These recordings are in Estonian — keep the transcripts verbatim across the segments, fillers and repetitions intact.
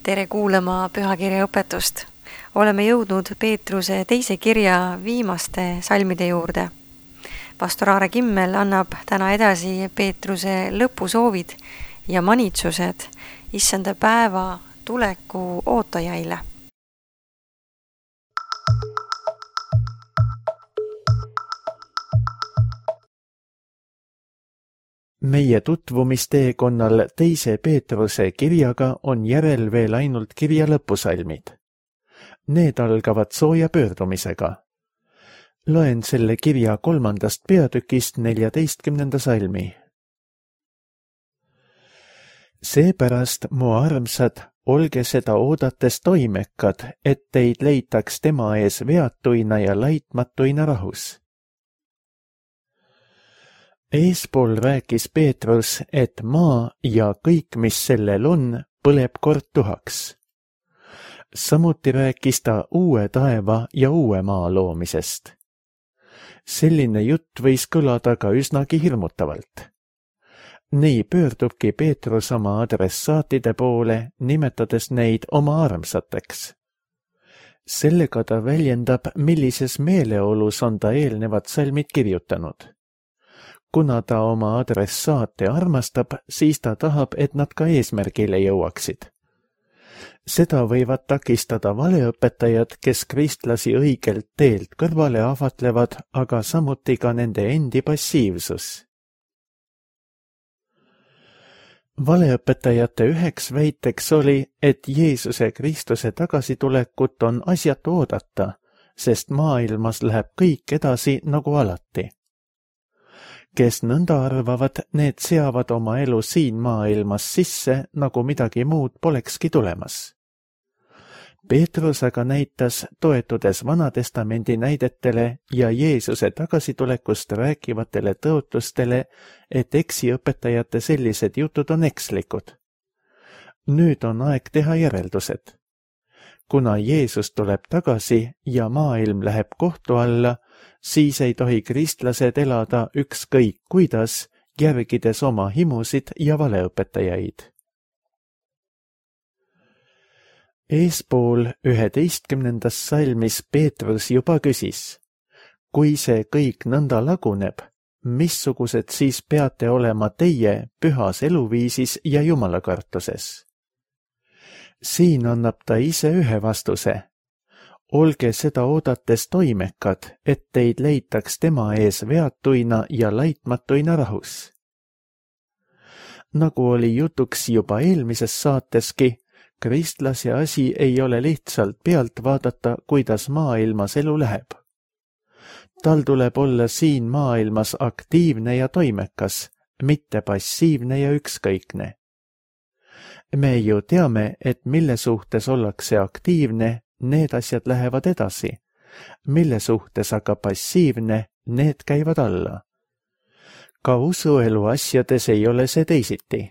Tere kuulama pühakirja õpetust. Oleme jõudnud Peetruse teise kirja viimaste salmide juurde. Pastor Aare Kimmel annab täna edasi Peetruse lõpusoovid ja manitsused issanda päeva tuleku ootajaile. Meie tutvumisteekonnal teise Peetruse kirjaga on järel veel ainult kirja lõpusalmid. Need algavad sooja pöördumisega. Loen selle kirja kolmandast peatükist neljateistkümnenda salmi. Seepärast, mu armsad, olge seda oodates toimekad, et teid leitaks tema ees veatuina ja laitmatuina rahus. Eespool rääkis Peetrus, et maa ja kõik, mis sellel on, põleb kord tuhaks. Samuti rääkis ta uue taeva ja uue maa loomisest. Selline jutt võis kõlada ka üsnagi hirmutavalt. Nii pöördubki Peetrus oma adressaatide poole, nimetades neid oma armsateks. Sellega ta väljendab, millises meeleolus on ta eelnevad salmid kirjutanud. Kuna ta oma adressaate armastab, siis ta tahab, et nad ka eesmärgile jõuaksid. Seda võivad takistada valeõpetajad, kes kristlasi õigelt teelt kõrvale ahvatlevad, aga samuti ka nende endi passiivsus. Valeõpetajate üheks väiteks oli, et Jeesuse Kristuse tagasitulekut on asjatu oodata, sest maailmas läheb kõik edasi nagu alati. Kes nõnda arvavad, need seavad oma elu siin maailmas sisse, nagu midagi muud polekski tulemas. Peetrus aga näitas, toetudes Vanatestamendi näidetele ja Jeesuse tagasitulekust rääkivatele tõotustele, et eksiõpetajate sellised jutud on ekslikud. Nüüd on aeg teha järeldused. Kuna Jeesus tuleb tagasi ja maailm läheb kohtu alla, siis ei tohi kristlased elada ükskõik kuidas, järgides oma himusid ja valeõpetajaid. Eespool üheteistkümnendas salmis Peetrus juba küsis, kui see kõik nõnda laguneb, missugused siis peate olema teie pühas eluviisis ja jumalakartuses? Siin annab ta ise ühe vastuse. Olge seda oodates toimekad, et teid leitaks tema ees veatuina ja laitmatuina rahus. Nagu oli jutuks juba eelmises saateski, kristlase asi ei ole lihtsalt pealt vaadata, kuidas maailmas elu läheb. Tal tuleb olla siin maailmas aktiivne ja toimekas, mitte passiivne ja ükskõikne. Me ju teame, et mille suhtes ollakse aktiivne, need asjad lähevad edasi, mille suhtes aga passiivne, need käivad alla. Ka usuelu asjades ei ole see teisiti.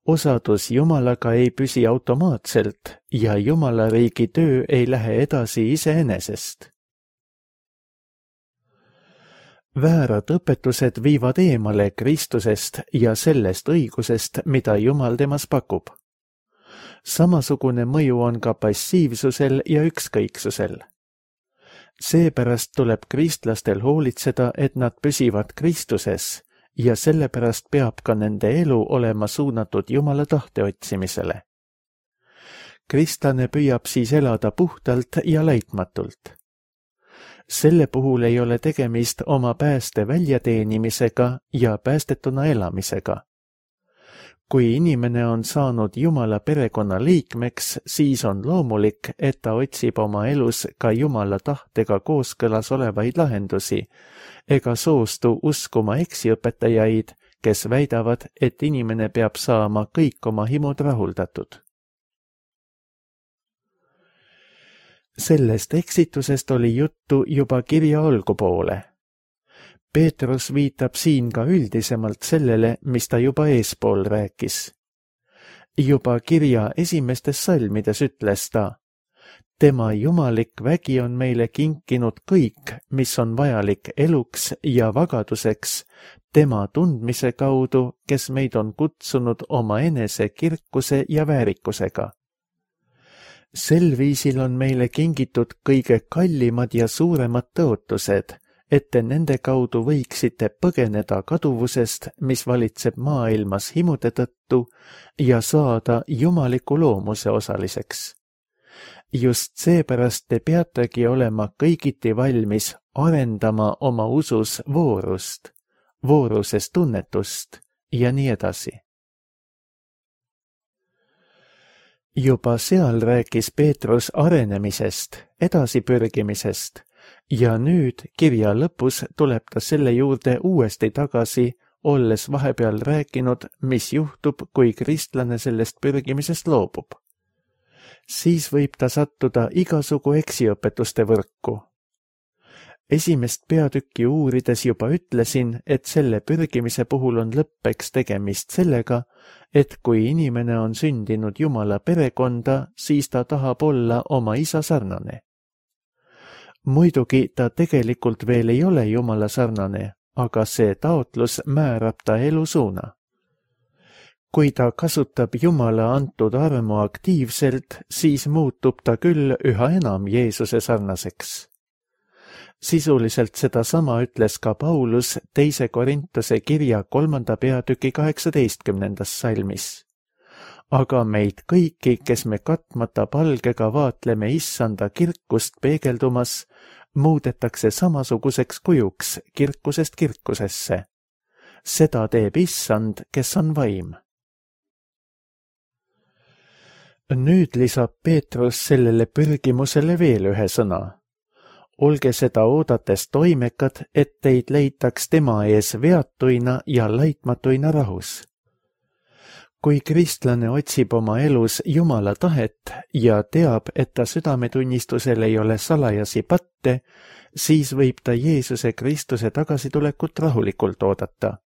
Osadus Jumalaga ei püsi automaatselt ja Jumala riigi töö ei lähe edasi iseenesest. Väärad õpetused viivad eemale Kristusest ja sellest õigusest, mida Jumal temas pakub. Samasugune mõju on ka passiivsusel ja ükskõiksusel. Seepärast tuleb kristlastel hoolitseda, et nad püsivad Kristuses ja sellepärast peab ka nende elu olema suunatud Jumala tahte otsimisele. Kristlane püüab siis elada puhtalt ja laitmatult. Selle puhul ei ole tegemist oma pääste väljateenimisega ja päästetuna elamisega. Kui inimene on saanud Jumala perekonna liikmeks, siis on loomulik, et ta otsib oma elus ka Jumala tahtega kooskõlas olevaid lahendusi, ega soostu uskuma eksiõpetajaid, kes väidavad, et inimene peab saama kõik oma himud rahuldatud. Sellest eksitusest oli juttu juba kirja algupoole. Peetrus viitab siin ka üldisemalt sellele, mis ta juba eespool rääkis. Juba kirja esimestes salmides ütles ta, tema jumalik vägi on meile kinkinud kõik, mis on vajalik eluks ja vagaduseks, tema tundmise kaudu, kes meid on kutsunud oma enese kirkuse ja väärikusega. Sel viisil on meile kingitud kõige kallimad ja suuremad tõotused, et te nende kaudu võiksite põgeneda kaduvusest, mis valitseb maailmas himude tõttu, ja saada jumaliku loomuse osaliseks. Just seepärast te peategi olema kõigiti valmis arendama oma usus voorust, vooruses tunnetust ja nii edasi. Juba seal rääkis Peetrus arenemisest, edasipürgimisest, ja nüüd kirja lõpus tuleb ta selle juurde uuesti tagasi, olles vahepeal rääkinud, mis juhtub, kui kristlane sellest pürgimisest loobub. Siis võib ta sattuda igasugu eksiõpetuste võrku. Esimest peatükki uurides juba ütlesin, et selle pürgimise puhul on lõppeks tegemist sellega, et kui inimene on sündinud Jumala perekonda, siis ta tahab olla oma isa sarnane. Muidugi ta tegelikult veel ei ole Jumala sarnane, aga see taotlus määrab ta elusuuna. Kui ta kasutab Jumala antud armu aktiivselt, siis muutub ta küll üha enam Jeesuse sarnaseks. Sisuliselt sedasama ütles ka Paulus teise Korintuse kirja kolmanda peatüki kaheksateistkümnendas salmis. Aga meid kõiki, kes me katmata palgega vaatleme issanda kirkust peegeldumas, muudetakse samasuguseks kujuks kirkusest kirkusesse. Seda teeb issand, kes on vaim. Nüüd lisab Peetrus sellele pürgimusele veel ühe sõna. Olge seda oodates toimekad, et teid leitaks tema ees veatuina ja laitmatuina rahus. Kui kristlane otsib oma elus Jumala tahet ja teab, et ta südametunnistusel ei ole salajasi patte, siis võib ta Jeesuse Kristuse tagasitulekut rahulikult oodata.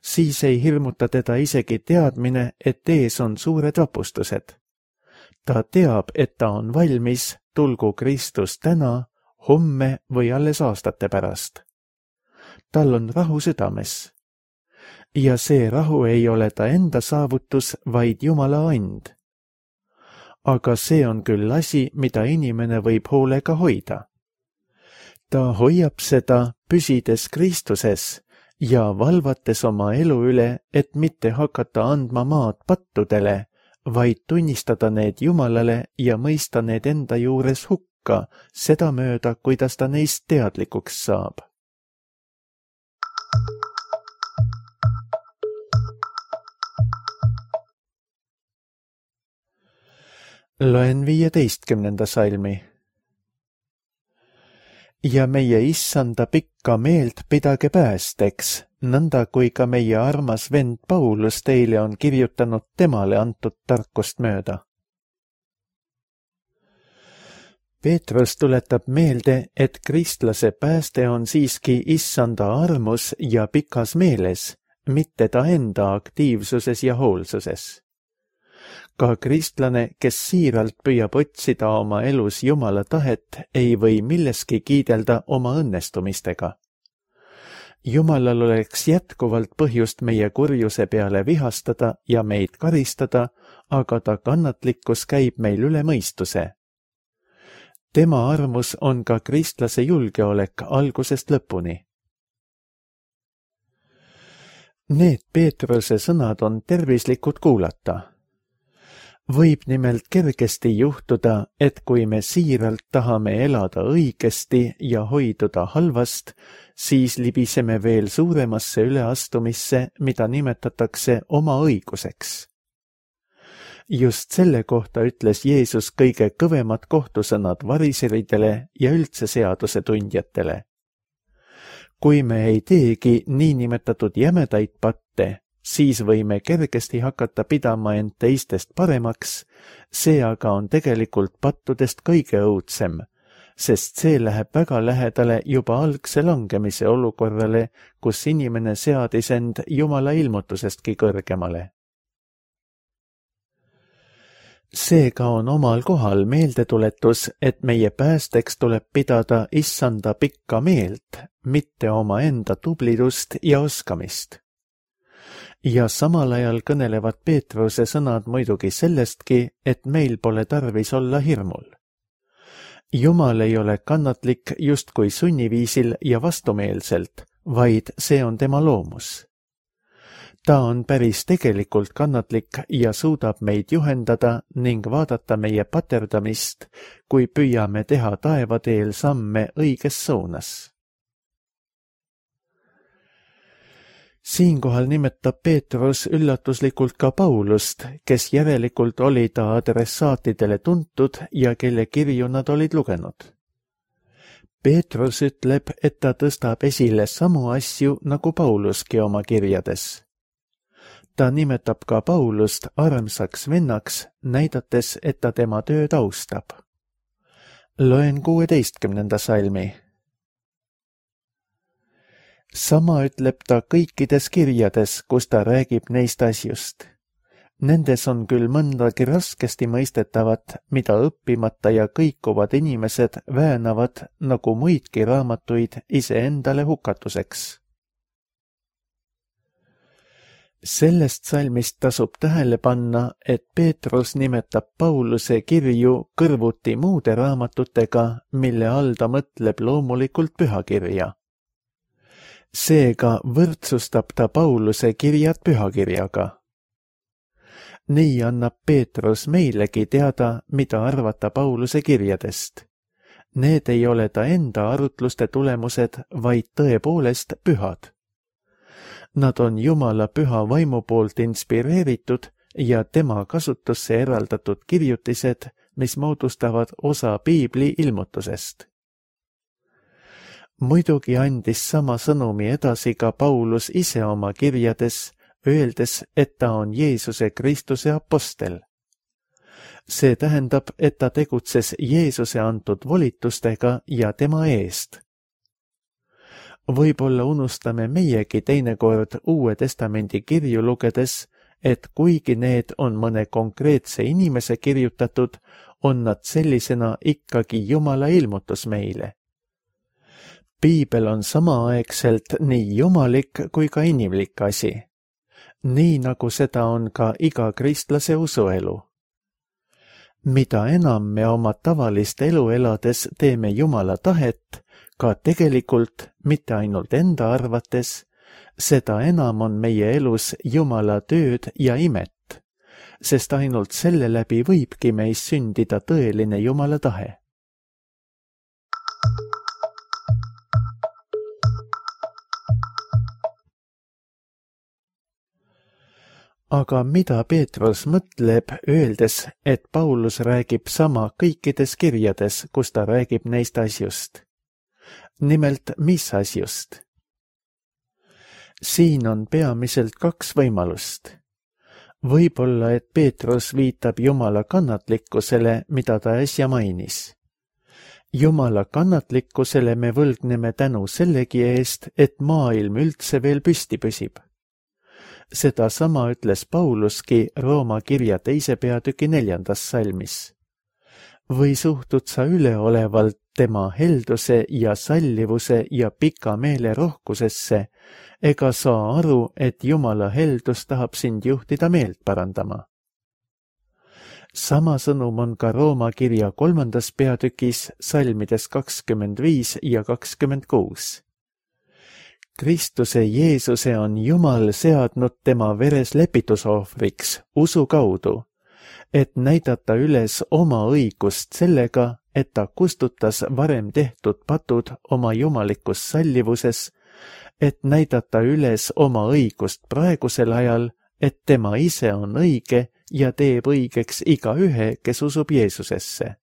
Siis ei hirmuta teda isegi teadmine, et ees on suured vapustused. Ta teab, et ta on valmis, tulgu Kristus täna, homme või alles aastate pärast. Tal on rahu südames. Ja see rahu ei ole ta enda saavutus, vaid Jumala and. Aga see on küll asi, mida inimene võib hoolega hoida. Ta hoiab seda, püsides Kristuses ja valvates oma elu üle, et mitte hakata andma maad pattudele, vaid tunnistada need Jumalale ja mõista need enda juures hukka, seda mööda, kuidas ta neist teadlikuks saab. Loen viieteistkümnenda salmi. Ja meie issanda pikka meelt pidage päästeks, nõnda kui ka meie armas vend Paulus teile on kirjutanud temale antud tarkust mööda. Peetrus tuletab meelde, et kristlase pääste on siiski issanda armus ja pikas meeles, mitte ta enda aktiivsuses ja hoolsuses. Ka kristlane, kes siiralt püüab otsida oma elus Jumala tahet, ei või milleski kiidelda oma õnnestumistega. Jumalal oleks jätkuvalt põhjust meie kurjuse peale vihastada ja meid karistada, aga ta kannatlikkus käib meil üle mõistuse. Tema armus on ka kristlase julgeolek algusest lõpuni. Need Peetruse sõnad on tervislikud kuulata. Võib nimelt kergesti juhtuda, et kui me siiralt tahame elada õigesti ja hoiduda halvast, siis libiseme veel suuremasse üleastumisse, mida nimetatakse oma õiguseks. Just selle kohta ütles Jeesus kõige kõvemad kohtusõnad variseridele ja üldse seaduse tundjatele. Kui me ei teegi niinimetatud jämedaid patte, siis võime kergesti hakata pidama end teistest paremaks, see aga on tegelikult pattudest kõige õudsem, sest see läheb väga lähedale juba algse langemise olukorrale, kus inimene seadis end Jumala ilmutusestki kõrgemale. Seega on omal kohal meeldetuletus, et meie päästeks tuleb pidada issanda pikka meelt, mitte oma enda tublidust ja oskamist. ja samal ajal kõnelevad Peetruse sõnad muidugi sellestki, et meil pole tarvis olla hirmul. Jumal ei ole kannatlik justkui sunniviisil ja vastumeelselt, vaid see on tema loomus. Ta on päris tegelikult kannatlik ja suudab meid juhendada ning vaadata meie paterdamist, kui püüame teha taevateel samme õiges suunas. Siinkohal nimetab Peetrus üllatuslikult ka Paulust, kes järelikult oli ta adressaatidele tuntud ja kelle kirju nad olid lugenud. Peetrus ütleb, et ta tõstab esile samu asju nagu Pauluski oma kirjades. Ta nimetab ka Paulust armsaks vennaks, näidates, et ta tema tööd austab. Loen kuueteistkümnenda salmi. Sama ütleb ta kõikides kirjades, kus ta räägib neist asjust. Nendes on küll mõndagi raskesti mõistetavat, mida õppimata ja kõikuvad inimesed väänavad nagu muidki raamatuid iseendale hukatuseks. Sellest salmist tasub tähele panna, et Peetrus nimetab Pauluse kirju kõrvuti muude raamatutega, mille all ta mõtleb loomulikult pühakirja. Seega võrdsustab ta Pauluse kirjad pühakirjaga. Nii annab Peetrus meilegi teada, mida arvata Pauluse kirjadest. Need ei ole ta enda arutluste tulemused, vaid tõepoolest pühad. Nad on Jumala püha vaimu poolt inspireeritud ja tema kasutusse eraldatud kirjutised, mis moodustavad osa Piibli ilmutusest. Muidugi andis sama sõnumi edasi ka Paulus ise oma kirjades, öeldes, et ta on Jeesuse Kristuse apostel. See tähendab, et ta tegutses Jeesuse antud volitustega ja tema eest. Võib-olla unustame meiegi teinekord Uue Testamendi kirju lugedes, et kuigi need on mõne konkreetse inimese kirjutatud, on nad sellisena ikkagi Jumala ilmutus meile. Piibel on samaaegselt nii jumalik kui ka inimlik asi, nii nagu seda on ka iga kristlase usuelu. Mida enam me oma tavalist elu elades teeme Jumala tahet, ka tegelikult, mitte ainult enda arvates, seda enam on meie elus Jumala tööd ja imet, sest ainult selle läbi võibki meis sündida tõeline Jumala tahe. Aga mida Peetrus mõtleb, öeldes, et Paulus räägib sama kõikides kirjades, kus ta räägib neist asjust? Nimelt, mis asjust? Siin on peamiselt kaks võimalust. Võib-olla, et Peetrus viitab Jumala kannatlikkusele, mida ta äsja mainis. Jumala kannatlikkusele me võlgneme tänu sellegi eest, et maailm üldse veel püsti püsib. Seda sama ütles Pauluski Rooma kirja teise peatüki neljandas salmis. Või suhtud sa üleolevalt tema helduse ja sallivuse ja pika meele rohkusesse, ega saa aru, et Jumala heldus tahab sind juhtida meelt parandama. Sama sõnum on ka Rooma kirja kolmandas peatükis salmides kakskümmend viis ja kakskümmend kuus. Kristuse Jeesuse on Jumal seadnud tema veres lepitusohvriks usu kaudu, et näidata üles oma õigust sellega, et ta kustutas varem tehtud patud oma jumalikus sallivuses, et näidata üles oma õigust praegusel ajal, et tema ise on õige ja teeb õigeks igaühe, kes usub Jeesusesse.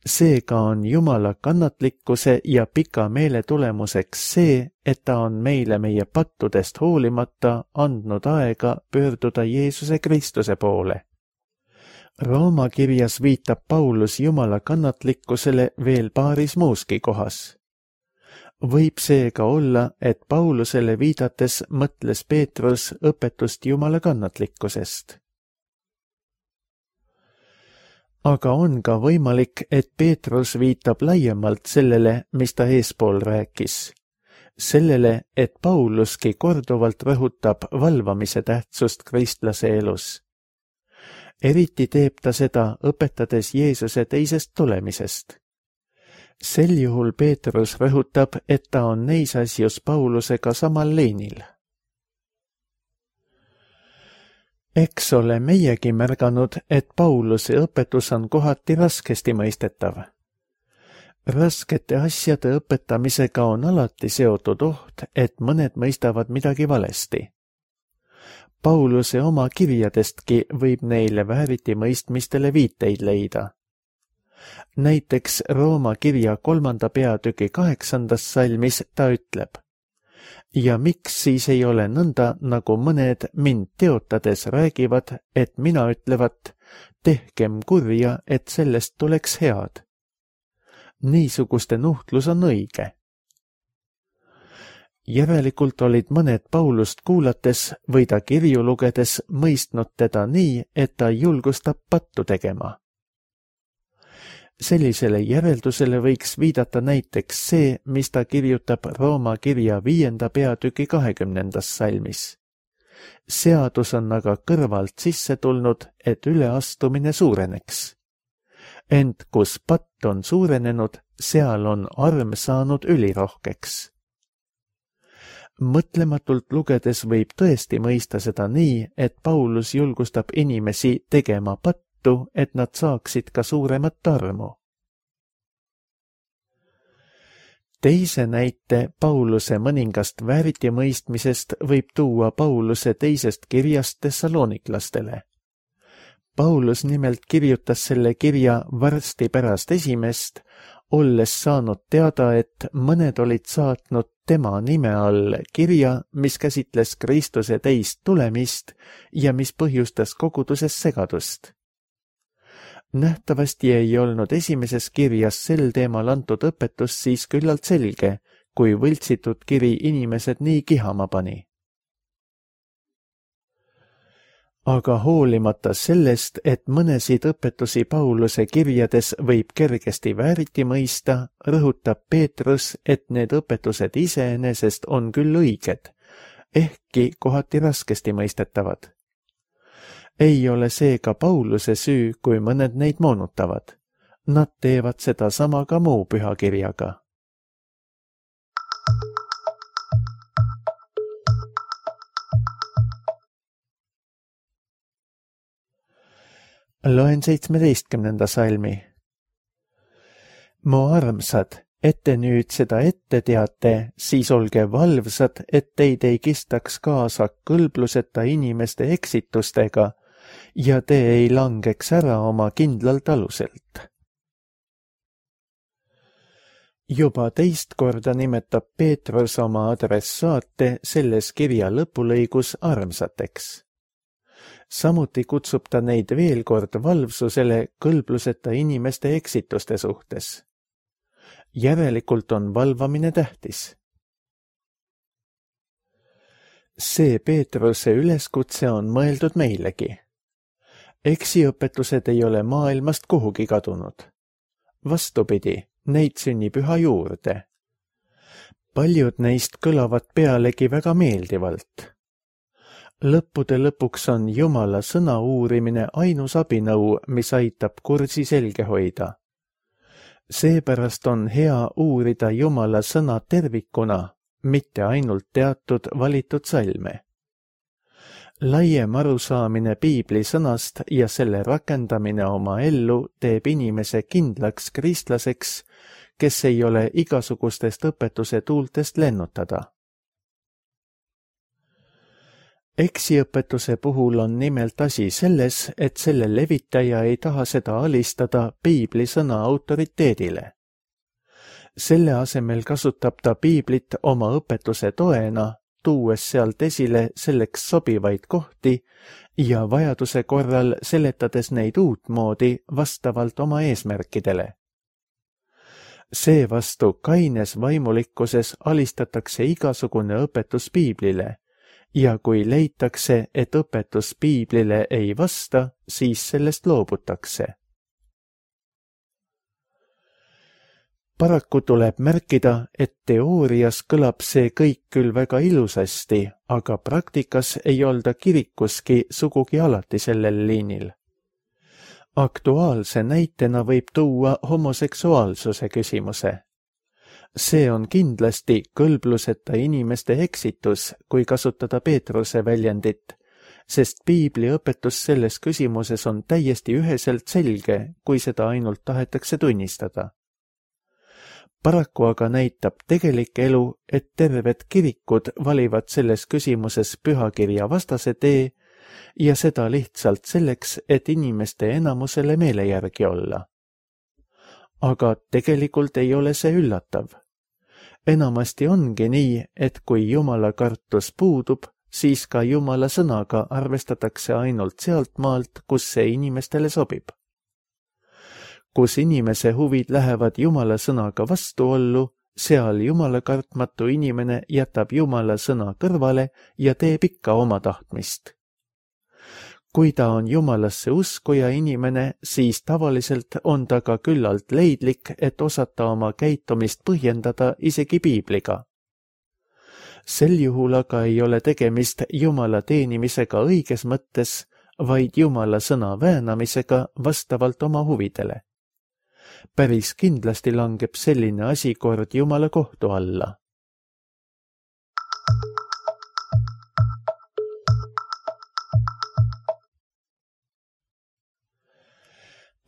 Seega on Jumala kannatlikkuse ja pika meele tulemuseks see, et ta on meile meie pattudest hoolimata andnud aega pöörduda Jeesuse Kristuse poole. Rooma kirjas viitab Paulus Jumala kannatlikkusele veel paaris muuski kohas. Võib seega olla, et Paulusele viidates mõtles Peetrus õpetust Jumala kannatlikkusest. Aga on ka võimalik, et Peetrus viitab laiemalt sellele, mis ta eespool rääkis. sellele, et Pauluski korduvalt rõhutab valvamise tähtsust kristlase elus. Eriti teeb ta seda, õpetades Jeesuse teisest tulemisest. Sel juhul Peetrus rõhutab, et ta on neis asjus Paulusega samal liinil. Eks ole meiegi märganud, et Pauluse õpetus on kohati raskesti mõistetav. Raskete asjade õpetamisega on alati seotud oht, et mõned mõistavad midagi valesti. Pauluse oma kirjadestki võib neile vääriti mõistmistele viiteid leida. Näiteks Rooma kirja kolmanda peatüki kaheksandas salmis ta ütleb: ja miks siis ei ole nõnda, nagu mõned mind teotades räägivad, et mina ütlevat, tehkem kurja, et sellest tuleks head. Niisuguste nuhtlus on õige. Järelikult olid mõned Paulust kuulates või ta kirju lugedes mõistnud teda nii, et ta julgustab pattu tegema. Sellisele järeldusele võiks viidata näiteks see, mis ta kirjutab Rooma kirja viienda peatüki kahekümnendas salmis. Seadus on aga kõrvalt sisse tulnud, et üleastumine suureneks. Ent kus patt on suurenenud, seal on arm saanud ülirohkeks. Mõtlematult lugedes võib tõesti mõista seda nii, et Paulus julgustab inimesi tegema pattu, et nad saaksid ka suuremat armu. Teise näite Pauluse mõningast vääritimõistmisest võib tuua Pauluse teisest kirjast tessaloniklastele. Paulus nimelt kirjutas selle kirja varsti pärast esimest, olles saanud teada, et mõned olid saatnud tema nime all kirja, mis käsitles Kristuse teist tulemist ja mis põhjustas koguduses segadust. Nähtavasti ei olnud esimeses kirjas sel teemal antud õpetus siis küllalt selge, kui võltsitud kiri inimesed nii kihama pani. Aga hoolimata sellest, et mõnesid õpetusi Pauluse kirjades võib kergesti vääriti mõista, rõhutab Peetrus, et need õpetused iseenesest on küll õiged, ehkki kohati raskesti mõistetavad. Ei ole seega Pauluse süü, kui mõned neid moonutavad. Nad teevad seda sama ka muu pühakirjaga. Loen seitsmeteistkümnenda salmi. Mu armsad, et te nüüd seda ette teate, siis olge valvsad, et teid ei kistaks kaasa kõlbluseta inimeste eksitustega ja te ei langeks ära oma kindlalt aluselt. Juba teist korda nimetab Peetrus oma adressaate selles kirja lõpulõigus armsateks. Samuti kutsub ta neid veel kord valvsusele kõlbluseta inimeste eksituste suhtes. Järelikult on valvamine tähtis. See Peetruse üleskutse on mõeldud meilegi. Eksiõpetused ei ole maailmast kuhugi kadunud. Vastupidi, neid sünnib üha juurde. Paljud neist kõlavad pealegi väga meeldivalt. Lõppude lõpuks on Jumala sõna uurimine ainus abinõu, mis aitab kursi selge hoida. Seepärast on hea uurida Jumala sõna tervikuna, mitte ainult teatud valitud salme. Laiem arusaamine piibli sõnast ja selle rakendamine oma ellu teeb inimese kindlaks kristlaseks, kes ei ole igasugustest õpetuse tuultest lennutada. Eksiõpetuse puhul on nimelt asi selles, et selle levitaja ei taha seda alistada piibli sõna autoriteedile. Selle asemel kasutab ta piiblit oma õpetuse toena, tuues sealt esile selleks sobivaid kohti ja vajaduse korral seletades neid uutmoodi vastavalt oma eesmärkidele. Seevastu kaines vaimulikkuses alistatakse igasugune õpetus piiblile, ja kui leitakse, et õpetus piiblile ei vasta, siis sellest loobutakse. Paraku tuleb märkida, et teoorias kõlab see kõik küll väga ilusasti, aga praktikas ei olda kirikuski sugugi alati sellel liinil. Aktuaalse näitena võib tuua homoseksuaalsuse küsimuse. See on kindlasti kõlbluseta inimeste eksitus, kui kasutada Peetruse väljendit, sest piibli õpetus selles küsimuses on täiesti üheselt selge, kui seda ainult tahetakse tunnistada. Paraku aga näitab tegelik elu, et terved kirikud valivad selles küsimuses pühakirja vastase tee ja seda lihtsalt selleks, et inimeste enamusele meele järgi olla. Aga tegelikult ei ole see üllatav. Enamasti ongi nii, et kui Jumala kartus puudub, siis ka Jumala sõnaga arvestatakse ainult sealt maalt, kus see inimestele sobib. Kus inimese huvid lähevad Jumala sõnaga vastuollu, seal Jumala kartmatu inimene jätab Jumala sõna kõrvale ja teeb ikka oma tahtmist. Kui ta on Jumalasse uskuja inimene, siis tavaliselt on ta ka küllalt leidlik, et osata oma käitumist põhjendada isegi piibliga. Sel juhul aga ei ole tegemist Jumala teenimisega õiges mõttes, vaid Jumala sõna väänamisega vastavalt oma huvidele. Päris kindlasti langeb selline asi kord Jumala kohtu alla.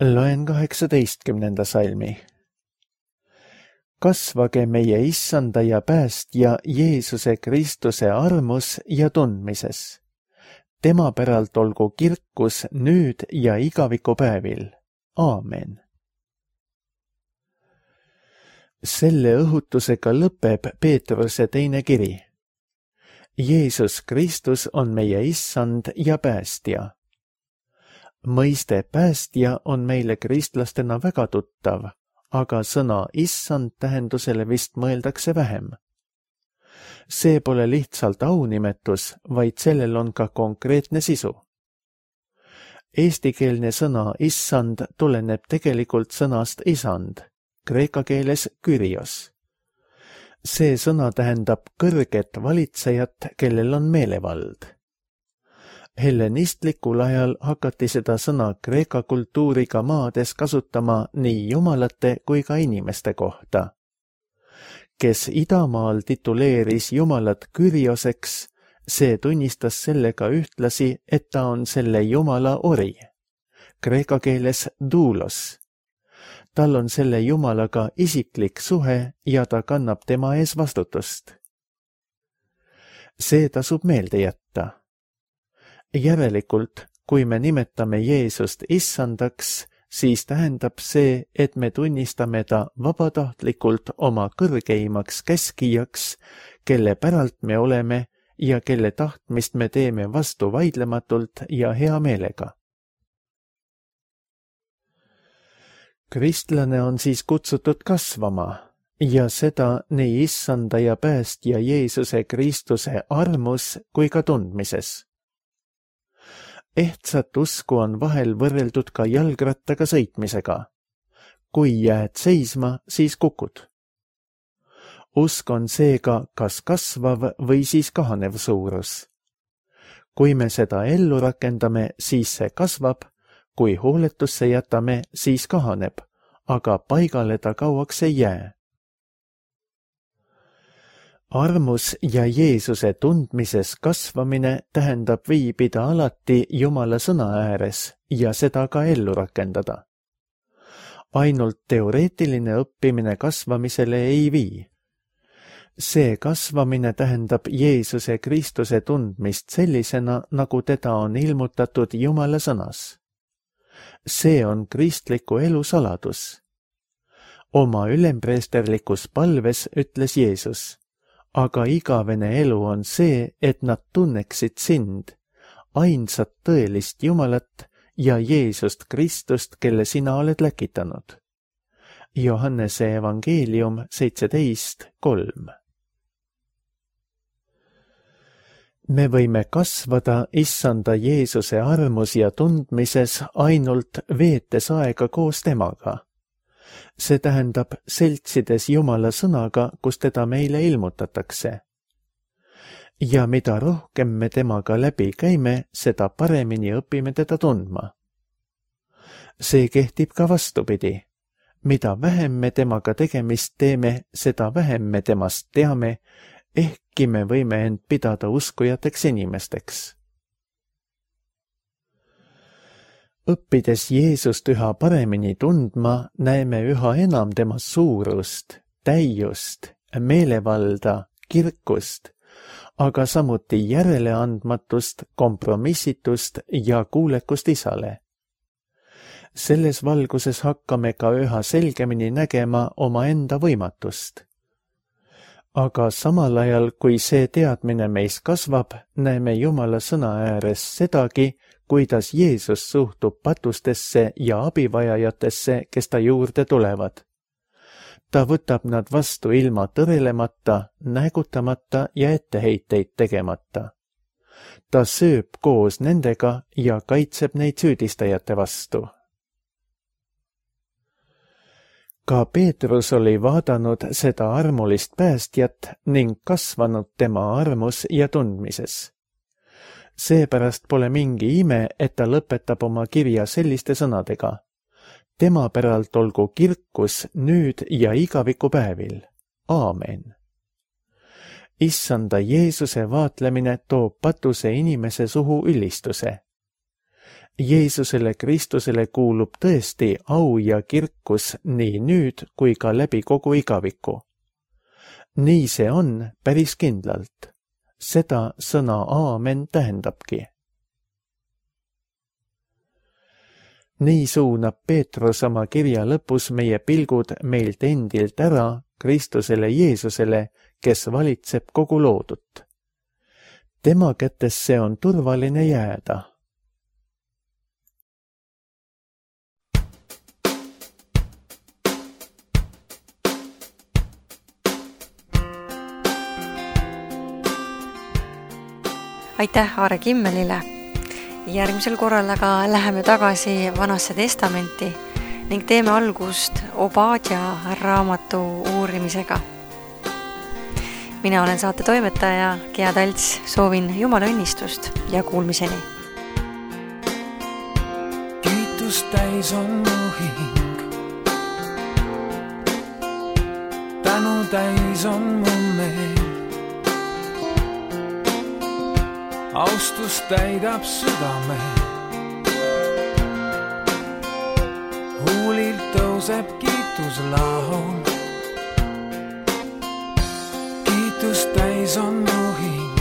Loen kaheksateistkümnenda salmi. Kasvage meie issanda ja päästja Jeesuse Kristuse armus ja tundmises. Tema päralt olgu kirkus nüüd ja igavikupäevil. Aamen. Selle õhutusega lõpeb Peetruse teine kiri. Jeesus Kristus on meie issand ja päästja. Mõiste päästja on meile kristlastena väga tuttav, aga sõna issand tähendusele vist mõeldakse vähem. See pole lihtsalt aunimetus, vaid sellel on ka konkreetne sisu. Eestikeelne sõna issand tuleneb tegelikult sõnast isand, kreeka keeles kyrios. See sõna tähendab kõrget valitsejat, kellel on meelevald. Hellenistlikul ajal hakati seda sõna kreeka kultuuriga maades kasutama nii jumalate kui ka inimeste kohta. Kes idamaal tituleeris jumalat Kyrioseks, see tunnistas sellega ühtlasi, et ta on selle jumala ori, kreeka keeles doulos. Tal on selle jumalaga isiklik suhe ja ta kannab tema ees vastutust. See tasub meelde jätta. Järelikult, kui me nimetame Jeesust issandaks, siis tähendab see, et me tunnistame ta vabatahtlikult oma kõrgeimaks käskijaks, kelle päralt me oleme ja kelle tahtmist me teeme vastu vaidlematult ja hea meelega. Kristlane on siis kutsutud kasvama ja seda nii issanda ja päästja Jeesuse Kristuse armus kui ka tundmises. Ehtsat usku on vahel võrreldud ka jalgrattaga sõitmisega. Kui jääd seisma, siis kukud. Usk on seega kas kasvav või siis kahanev suurus. Kui me seda ellu rakendame, siis see kasvab, kui hooletusse jätame, siis kahaneb, aga paigale ta kauaks ei jää. Armus ja Jeesuse tundmises kasvamine tähendab viibida alati Jumala sõna ääres ja seda ka ellu rakendada. Ainult teoreetiline õppimine kasvamisele ei vii. See kasvamine tähendab Jeesuse Kristuse tundmist sellisena, nagu teda on ilmutatud Jumala sõnas. See on kristliku elu saladus. Oma ülempreesterlikus palves ütles Jeesus, aga igavene elu on see, et nad tunneksid sind, ainsat tõelist Jumalat ja Jeesust Kristust, kelle sina oled läkitanud. Johannese evangeelium seitseteist kolm. Me võime kasvada issanda Jeesuse armus ja tundmises ainult veetes aega koos temaga. See tähendab seltsides Jumala sõnaga, kus teda meile ilmutatakse. Ja mida rohkem me temaga läbi käime, seda paremini õpime teda tundma. See kehtib ka vastupidi. Mida vähem me temaga tegemist teeme, seda vähem me temast teame, ehkki me võime end pidada uskujateks inimesteks. Õppides Jeesust üha paremini tundma, näeme üha enam tema suurust, täiust, meelevalda, kirkust, aga samuti järeleandmatust, kompromissitust ja kuulekust Isale. Selles valguses hakkame ka üha selgemini nägema oma enda võimatust. Aga samal ajal, kui see teadmine meis kasvab, näeme Jumala sõna ääres sedagi, kuidas Jeesus suhtub patustesse ja abivajajatesse, kes ta juurde tulevad. Ta võtab nad vastu ilma tõrelemata, näägutamata ja etteheiteid tegemata. Ta sööb koos nendega ja kaitseb neid süüdistajate vastu. Ka Peetrus oli vaadanud seda armulist päästjat ning kasvanud tema armus ja tundmises. Seepärast pole mingi ime, et ta lõpetab oma kirja selliste sõnadega. Tema päralt olgu kirkus nüüd ja igavikupäevil. Aamen. Issanda Jeesuse vaatlemine toob patuse inimese suhu ülistuse. Jeesusele Kristusele kuulub tõesti au ja kirkus nii nüüd kui ka läbi kogu igaviku. Nii see on päris kindlalt. Seda sõna aamen tähendabki. Nii suunab Peetrus oma kirja lõpus meie pilgud meilt endilt ära Kristusele Jeesusele, kes valitseb kogu loodut. Tema kätesse on turvaline jääda. Aitäh Aare Kimmelile. Järgmisel korral aga läheme tagasi Vanasse testamenti ning teeme algust Obadja raamatu uurimisega. Mina olen saate toimetaja Gea Talts, soovin Jumala õnnistust ja kuulmiseni. Kiitus täis on mu hing, tänu täis on mu meel. Austus täidab südame, huulilt tõuseb kiituslaul. Kiitus täis on mu hing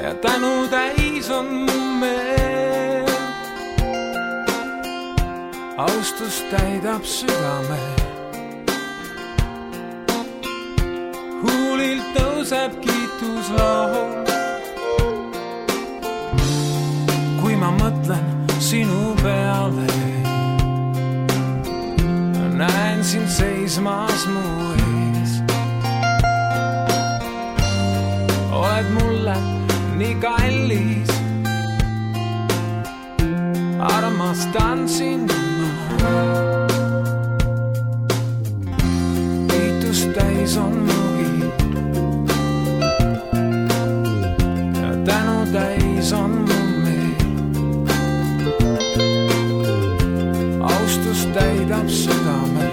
ja tänu täis on mu meel. Austus täidab südame, huulilt tõuseb kiituslaul. Kui ma mõtlen sinu peale, näen sind seismas mu ees. Oled mulle nii kallis, armastan sind ma. Kiitus täis on mu hing ja tänu täis on mu meel. Austus täidab südame,